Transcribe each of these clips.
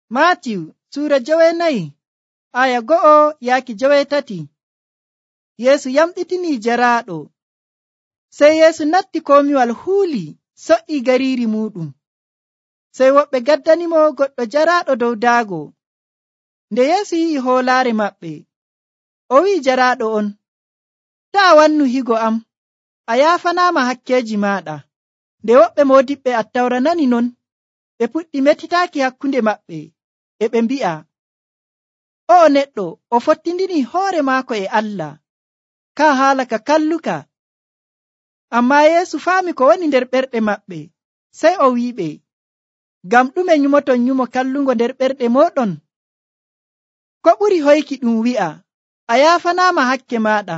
Maatiyu suura 9 aya 1-3. Yeesu yamɗitinii jaraaɗo. Sey Yeesu natti komiwal huuli so'i gariiri muɗum. Sey woɓɓe gaddanimo goɗɗo jaraaɗo dow daago. Nde Yeesu yi'i hoolaare maɓɓe, o wi'i jaraaɗo on, taa wannu higo am, a yaafanaama hakkeeji maaɗa. Nde woɓɓe moodiɓɓe Attawra nani non, ɓe puɗɗi metitaaki hakkunde maɓɓe, e ɓe mbi'a, o'o neɗɗo o fottindini hoore maako e Allah, kaa haala ka kalluka. Ammaa Yeesu faami ko woni nder ɓerɗe maɓɓe, sey o wi'iɓe, ngam ɗume nyumoton nyumo kallungo nder ɓerɗe mooɗon? Ko ɓuri hoyki ɗum wi'a, a yaafanaama hakke maaɗa,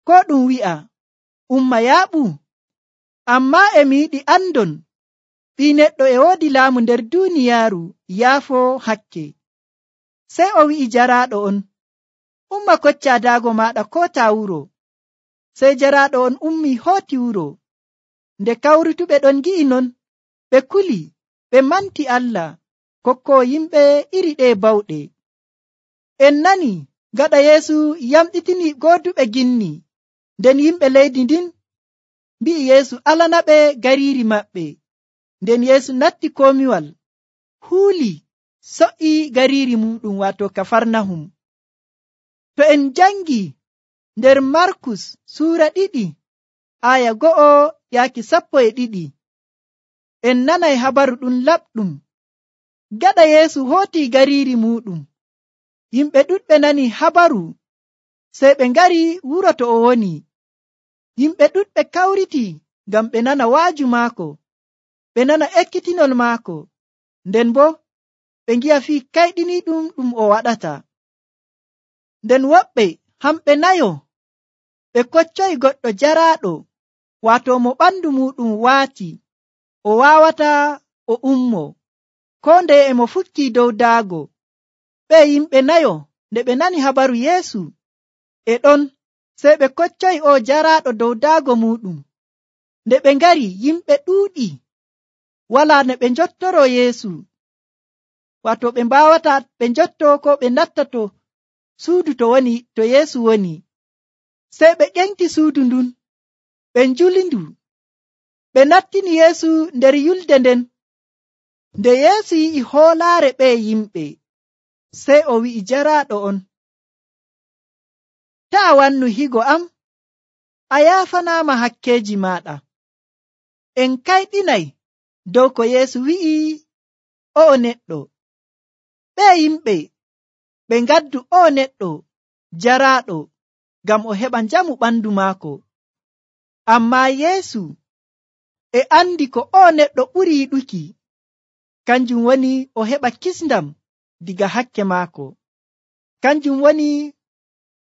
ko ɗum wi'a, umma yaaɓu? Ammaa e mi yiɗi andon, Ɓii Neɗɗo e woodi laamu nder duuniyaaru yaafoo hakke. Sey o wi'i jaraaɗo on, umma koccaa daago maaɗa kootaa wuro. Sey jaraaɗo on ummi hooti wuro. Nde kawrutuɓe ɗon gi'i non, ɓe kuli, ɓe manti Allah kokkoo yimɓe iri ɗe bawɗe. En nani gaɗa Yeesu yamɗitini gooduɓe ginni, nden yimɓe leydi ndin mbi'i Yeesu alanaɓe gariiri maɓɓe. Nden Yeesu natti komiwal, huuli, so'i gariiri muɗum waato Kafarnahum. To en jangi nder Markus suura 2 aya 1-12, en nanay habaru ɗum laɓɗum. Gaɗa Yeesu hootii gariiri muɗum, yimɓe ɗuɗɓe nani habaru, sey ɓe ngari wuro to o woni. Yimɓe ɗuɗɓe kawriti ngam ɓe nana waaju maako, ɓe nana ekkitinol maako, nden bo ɓe ngi'a fii kayɗiniiɗum ɗum o waɗata. Nden woɓɓe hamɓe 4 ɓe koccoyi goɗɗo jaraaɗo, waato mo ɓandu muɗum waati, o waawata o ummo, koo ndeye e mo fukkii dow daago. Ɓe yimɓe 4 nde ɓe nani habaru Yeesu e ɗon, sey ɓe koccoyi o jaraaɗo dow daago muɗum. Nde ɓe ngari, yimɓe ɗuuɗi, walaa no ɓe njottoroo Yeesu, waato ɓe mbaawata ɓe njotto ko ɓe natta to suudu to Yeesu woni. Sey ɓe ƴenti suudu ndun, ɓe njulindu, ɓe nattini Yeesu nder yulde nden. Nde Yeesu yi'i hoolaare ɓe yimɓe, sey o wi'i jaraaɗo on, taa wannu higo am, a yaafanaama hakkeeji maaɗa. En kayɗinay dow ko Yeesu wi'i o'o neɗɗo. Ɓe yimɓe ɓe ngaddu o'o neɗɗo jaraaɗo ngam o heɓa njamu ɓandu maako. Ammaa Yeesu e andi ko o'o neɗɗo ɓuri yiɗuki, kanjum woni o heɓa kisndam diga hakke maako. Kanjum woni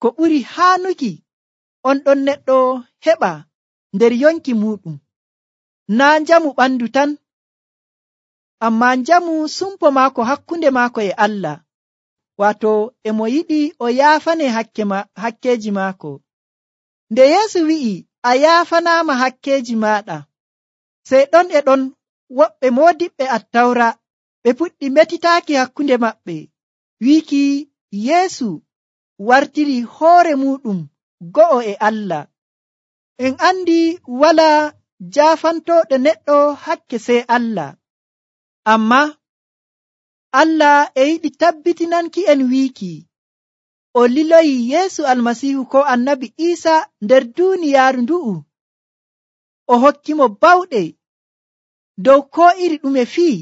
ko ɓuri haanuki on ɗon neɗɗo heɓa nder yonki muɗum, naa njamu ɓandu tan, ammaa njamu sumpo maako hakkunde maako e Allah, waato e mo yiɗi o yaafane hakkeeji maako. Nde Yeesu wi'i a yaafanaama hakkeeji maaɗa, sey ɗon e ɗon woɓɓe moodiɓɓe Attawra ɓe puɗɗi metitaaki hakkunde maɓɓe, wiiki Yeesu wartiri hoore muɗum go'o e Allah. En andi walaa jaafantooɗo neɗɗo hakke sey Allah, ammaa Allah e yiɗi tabbitinanki en wiiki o liloyi Yeesu Almasiihu ko Annabi Iisa nder duuniyaaru ndu'u, o hokkimo bawɗe dow koo iri ɗume fii,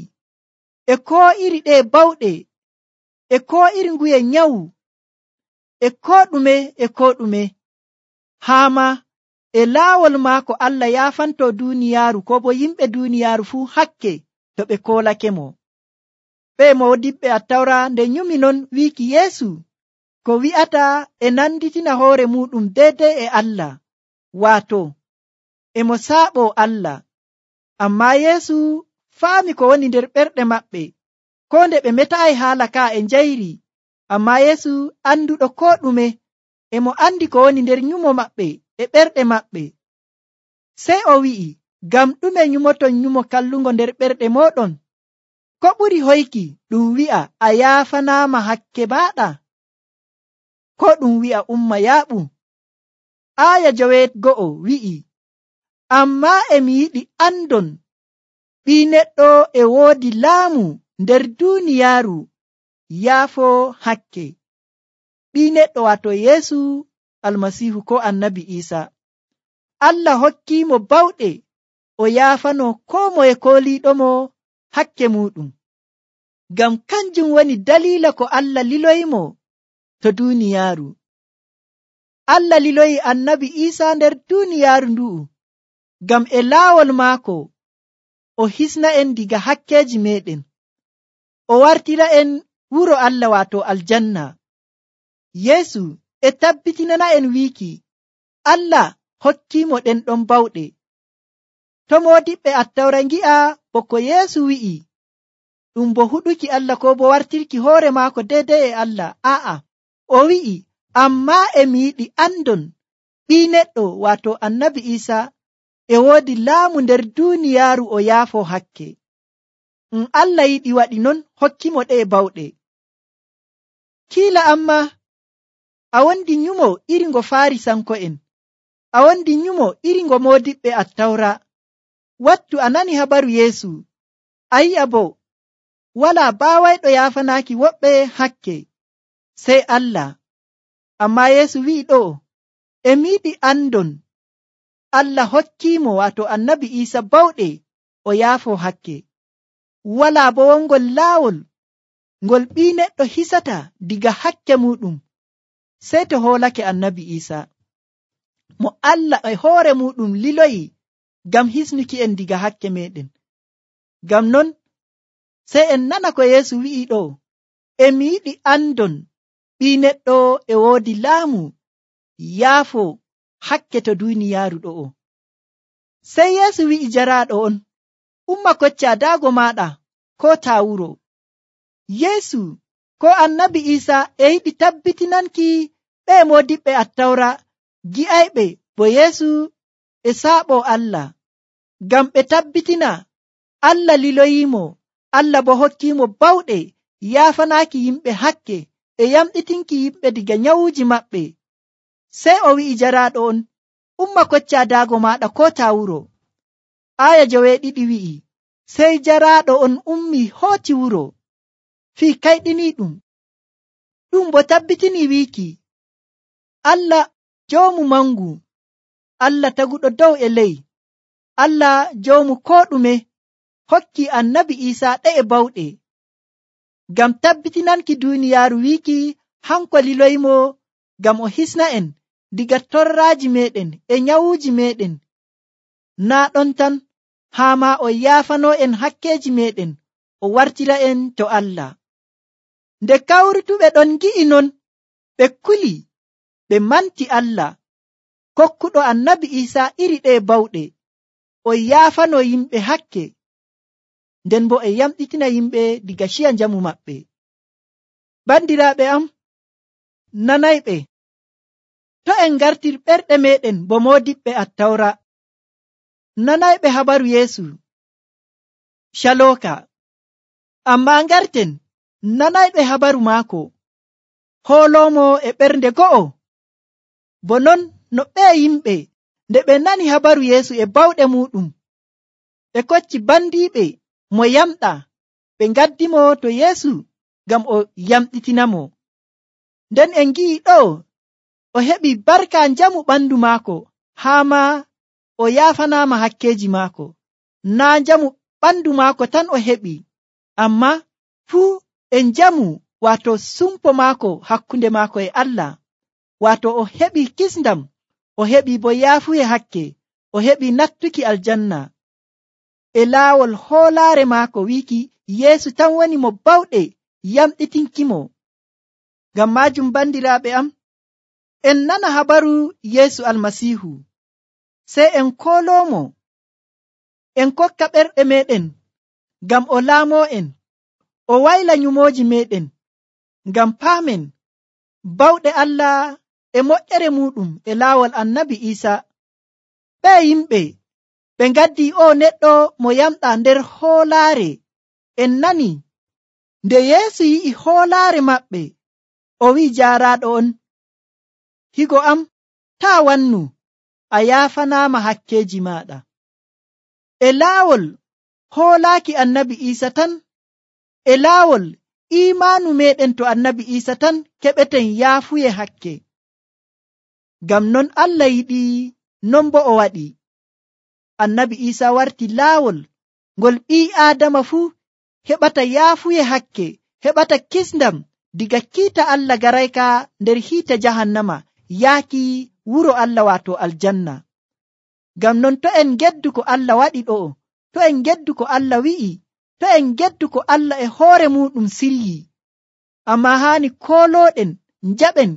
e koo iri ɗe bawɗe, e koo iri nguye nyawu, e koo ɗume, haa ma e laawol maako Allah yaafanto duuniyaaru ko bo yimɓe duuniyaaru fuu hakke to ɓe koolake-mo. Ɓe moodiɓɓe Attawra nde nyumi non wiiki Yeesu ko wi'ata e nanditina hoore muɗum deydey e Allah, waato e mo saaɓo Allah. Ammaa Yeesu faami ko woni nder ɓerɗe maɓɓe, ko nde ɓe metaayi haala ka e njayri. Ammaa Yeesu anduɗo koo ɗume, e mo andi ko woni nder nyumo maɓɓe e ɓerɗe maɓɓe. Sey o wi'i, ngam ɗume nyumoton nyumo kallungo nder ɓerɗe mooɗon? ko ɓuri hoyki ɗum wi'a a yaafanaama hakke maaɗa, ko ɗum wi'a umma yaaɓu? Aaya 9 wi'i, ammaa mi yiɗi andon ɓii neɗɗo e woodi laamu nder duuniyaaru yaafoo hakke. Ɓii neɗɗo wato Yeesu Almasiihu ko Annabi Iisaa. Allah hokkiimo bawɗe o yaafano koo moye kooliiɗomo hakke muuɗum. Ngam kanjum woni daliila ko Allah liloyimo to duuniyaaru. Allah liloyi Annabi Iisaa nder duuniyaaru ndu'u ngam e laawol maako o hisna en diga hakkeeji meɗen, o wartira en wuro Allah wato aljanna. Yeesu e tabbitinana en wiiki Allah hokkiimo ɗen ɗon bawɗe. To moodiɓɓe Attawra ngi'a bo ko Yeesu wi'i ɗum bo huɗuki Allah ko bo wartirki hoore maako deydey e Allah. Aa'a, o wi'i ammaa mi yiɗi andon ɓii neɗɗo wato Annabi Iisaa e woodi laamu nder duuniyaaru o yaafoo hakke. Allah yiɗi waɗi non hokkimo ɗe bawɗe. Kiila amma a wondi nyumo iri ngo Faarisanko'en, a wondi nyumo iri ngo moodiɓɓe Attawra. Wattu a nani habaru Yeesu, a yi'a bo walaa baawayɗo yaafanaaki woɓɓe hakke sey Allah. Ammaa Yeesu wi'i ɗo, mi yiɗi andon Allah hokkiimo wato Annabi Iisaa bawɗe o yaafoo hakke. Walaa bo wongol laawol ngol ɓii neɗɗo hisata diga hakke muuɗum sey to hoolake Annabi Iisaa, mo Allah e hoore muuɗum liloyi ngam hisnuki en diga hakke meɗen. Ngam non sey en nana ko Yeesu wi'i ɗo, mi yiɗi andon ɓii neɗɗo e woodi laamu yaafoo hakke to duuniyaaru ɗo'o. Sey Yeesu wi'i jaraaɗo on, umma kocca daago maaɗa ko taa wuro. Yeesu ko Annabi Iisaa e yiɗi tabbitinanki ɓe moodiɓɓe Attawra gi'ayɓe bo Yeesu e saaɓo Allah, ngam ɓe tabbitina Allah liloyiimo, Allah bo hokkiimo bawɗe yaafanaaki yimɓe hakke e yamɗitinki yimɓe diga nyawuuji maɓɓe. Sey o wi'i jaraaɗo on, umma kocca daago maaɗa ko taa wuro. Aaya 2 wi'i, sey jaraaɗo on ummi hooti wuro fii kayɗiniiɗum. Ɗum bo tabbitini wiiki Allah joomu mangu, Allah taguɗo dow e ley, Allah joomu koo ɗume hokki Annabi Iisaa ɗe'e bawɗe ngam tabbitinanki duuniyaaru wiiki hanko liloyimo ngam o hisna en diga torraaji meɗen e nyawuuji meɗen. Naa ɗon tan, haa ma o yaafanoo en hakkeeji meɗen, o wartira en to Allah. Nde kawrutuɓe ɗon ngi'i non, ɓe kuli, ɓe manti Allah kokkuɗo Annabi Iisaa iri ɗe bawɗe, o yaafanoo yimɓe hakke, nden bo e yamɗitina yimɓe diga ciya njamu maɓɓe. Bandiraaɓe am, nanayɓe, to en ngartir ɓerɗe meɗen bo moodiɓɓe Attawra, nanayɓe habaru Yeesu calooka, ammaa ngarten nanayɓe habaru maako hooloomo e ɓernde go'o. Bo non no ɓe yimɓe nde ɓe nani habaru Yeesu e bawɗe muuɗum, ɓe kocci bandiiɓe mo yamɗa, ɓe ngaddimo to Yeesu ngam o yamɗitinamo. Nden en ngi'i ɗo o heɓi barka njamu ɓandu maako, haa ma o yaafanaama hakkeeji maako. Naa njamu ɓandu maako tan o heɓi, amma fuu e njamu wato sumpo maako hakkunde maako e Allah, wato o heɓi kisndam, o heɓi bo yaafuye hakke, o heɓi nattuki aljanna. E laawol hoolaare maako wiiki Yeesu tan woni mo bawɗe yamɗitinkimo. Ngam maajum bandiraaɓe am, en nana habaru Yeesu Almasiihu, sey en kooloomo, en kokka ɓerɗe meɗen ngam o laamoo en, o wayla nyumooji meɗen, ngam paamen bawɗe Allah e moƴƴere muuɗum e laawol Annabi Iisaa. Ɓe yimɓe ɓe ngaddi o neɗɗo mo yamɗa nder hoolaare En nani nde Yeesu yi'i hoolaare maɓɓe, o wi'i jaaraaɗo on, higo am, taa wannu, a yaafanaama hakkeeji maaɗa. E laawol hoolaaki Annabi Iisa tan, e laawol iimaanu meeɗen to Annabi Iisa tan keɓeten yaafuye hakke. Ngam non Allah yiɗi, non bo o waɗi. Annabi Iisa warti laawol ngol ɓii Aadama fuu heɓata yaafuye hakke, heɓata kisndam diga kiita Allah garayka nder hiite jahannama yaaki wuro Allah waato aljanna. Ngam non to en geddu ko Allah waɗi ɗo'o, to en geddu ko Allah wi'i, to en geddu ko Allah e hoore muɗum silyi, amma haani koolooɗen njaɓen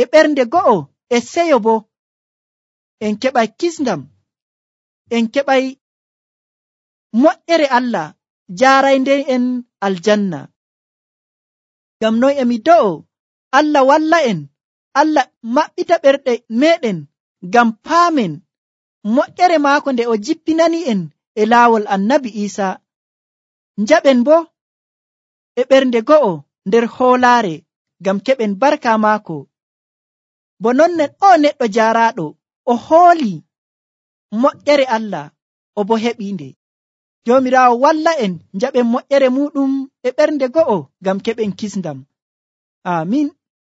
e ɓernde go'o e seyo bo en keɓay kisndam, en keɓay moƴƴere Allah jaaraynde en aljanna. Ngam noy emi do'o Allah walla en, Allah maɓɓita ɓerɗe meɗen ngam paamen moƴƴere maako nde o jippinani en e laawol Annabi Iisa, njaɓen bo e ɓernde go'o nder hoolaare ngam keɓen barka maako. Bo nonnen o neɗɗo jaaraaɗo o hooli moƴƴere Allah, o bo heɓiinde. Joomiraawo walla en njaɓen moƴƴere muɗum e ɓernde go'o ngam keɓen kisndam. Aamin.